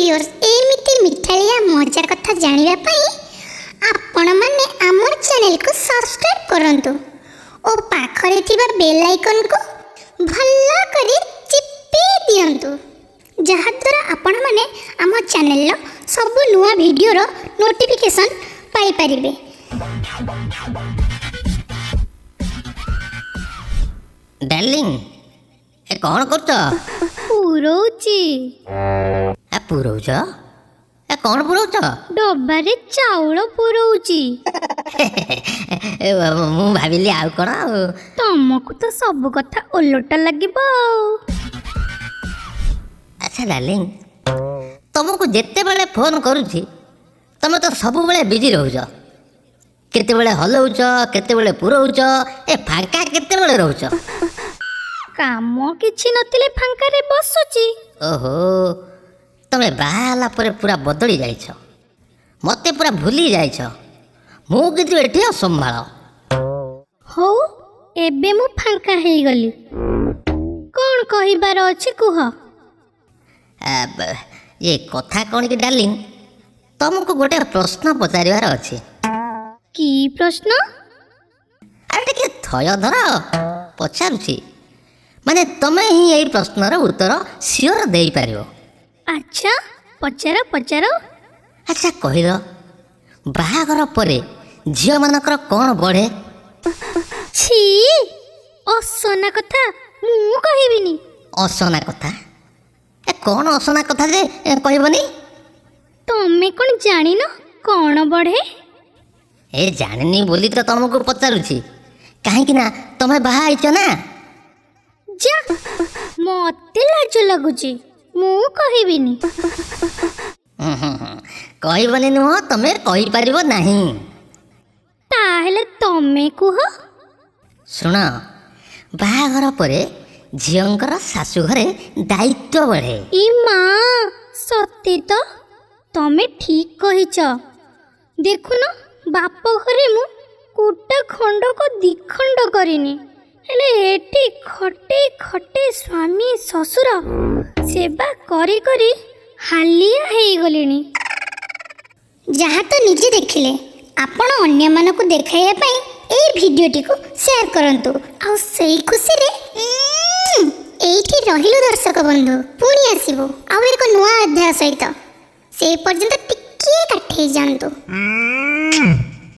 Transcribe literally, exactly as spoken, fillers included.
Viewers, ଏମିତି ମିଠାଳିଆ ମଜା କଥା ଜାଣିବା ପାଇଁ ଆପଣମାନେ ଆମର ଚ୍ୟାନେଲକୁ ସବସ୍କ୍ରାଇବ୍ କରନ୍ତୁ ଓ ପାଖରେ ଥିବା ବେଲ୍ ଆଇକନ୍କୁ ଭଲ କରି ଚିପି ଦିଅନ୍ତୁ, ଯାହାଦ୍ୱାରା ଆପଣମାନେ ଆମ ଚ୍ୟାନେଲର ସବୁ ନୂଆ ଭିଡ଼ିଓର ନୋଟିଫିକେସନ୍ ପାଇପାରିବେ। ଡାର୍ଲିଂ, ଏ କ'ଣ କରୁଛ? ପୁରଉଛି। ଏ ପୁରଉଛ? ଏ କ'ଣ ପୁରଉଛ? ଡବାରେ ଚାଉଳ ପୁରଉଛି। ଏ, ମୁଁ ଭାବିଲି ଆଉ କ'ଣ। ଆଉ ତମକୁ ତ ସବୁ କଥା ଓଲଟା ଲାଗିବ ଆଉ। ଆଚ୍ଛା ଡାର୍ଲିଂ, ତମକୁ ଯେତେବେଳେ ଫୋନ୍ କରୁଛି ତମେ ତ ସବୁବେଳେ ବିଜି ରହୁଛ। କେତେବେଳେ ହଲଉଛ, କେତେବେଳେ ପୁରଉଛ, ଏ ଫାଙ୍କା କେତେବେଳେ ରହୁଛ? କାମ କିଛି ନଥିଲେ ଫାଙ୍କାରେ ବସୁଛି। ଓହୋ, ତମେ ବାହା ହେଲା ପରେ ପୁରା ବଦଳି ଯାଇଛ, ମୋତେ ପୁରା ଭୁଲି ଯାଇଛ। ମୁଁ କିନ୍ତୁ ଏଠି ଅସମ୍ଭାଳ। ହଉ, ଏବେ ମୁଁ ଫାଙ୍କା ହେଇଗଲି, କ'ଣ କହିବାର ଅଛି କୁହ। ଆ, ବ- ଇଏ କଥା କ'ଣ କି ଡାର୍ଲିଂ, ତମକୁ ଗୋଟେ ପ୍ରଶ୍ନ ପଚାରିବାର ଅଛି। କି ପ୍ରଶ୍ନ? ଆରେ ଟିକେ ଥୟ ଧର, ପଚାରୁଛି। ମାନେ ତମେ ହିଁ ଏଇ ପ୍ରଶ୍ନର ଉତ୍ତର ସିଓର ଦେଇପାରିବ। ଆଚ୍ଛା, ପଚାର ପଚାର। ଆଚ୍ଛା କହିଲ, ବାହାଘର ପରେ ଝିଅମାନଙ୍କର କ'ଣ ବଢ଼େ? ଛି, ଅସନା କଥା, ମୁଁ କହିବିନି। ଅସନା କଥା? ଏ କ'ଣ ଅସନା କଥା ଯେ ଏ, କହିବନି? ତମେ କ'ଣ ଜାଣିନ କ'ଣ ବଢ଼େ? ଏ ଜାଣିନି ବୋଲି ତ ତମକୁ ପଚାରୁଛି, କାହିଁକି ନା ତମେ ବାହା ହେଇଛ ନା। ଯା, ମତେ ଲାଜ ଲାଗୁଛି, ମୁଁ କହିବିନି। ହୁଁ, ହୁଁ, ହୁଁ। କହିବନି ନୁହଁ, ତମେ କହିପାରିବ ନାହିଁ। ତାହେଲେ ତମେ କୁହ। ଶୁଣ, ବାହାଘର ପରେ ଝିଅଙ୍କର ଶାଶୁଘରେ ଦାୟିତ୍ୱ ବଢ଼େ। ଇ ମା, ସତେ ତ, ତମେ ଠିକ୍ କହିଛ। ଦେଖୁନ, ବାପ ଘରେ ମୁଁ କୁଟା ଖଣ୍ଡକ ଦିଖଣ୍ଡ କରିନି, ହେଲେ ଏଠି ଖଟେଇ ଖଟେଇ ସ୍ୱାମୀ ଶ୍ୱଶୁର ସେବା କରି କରି ହାଲିଆ ହେଇଗଲିଣି। ଯାହା ତ ନିଜେ ଦେଖିଲେ, ଆପଣ ଅନ୍ୟମାନଙ୍କୁ ଦେଖାଇବା ପାଇଁ ଏଇ ଭିଡ଼ିଓଟିକୁ ସେୟାର କରନ୍ତୁ। ଆଉ ସେଇ ଖୁସିରେ ଉଁ, ଏଇଠି ରହିଲୁ ଦର୍ଶକ ବନ୍ଧୁ, ପୁଣି ଆସିବୁ ଆଉ ଏକ ନୂଆ ଅଧ୍ୟାୟ ସହିତ। ସେ ପର୍ଯ୍ୟନ୍ତ ଟିକିଏ କାଠେଇ ଯାଆନ୍ତୁ। Mm.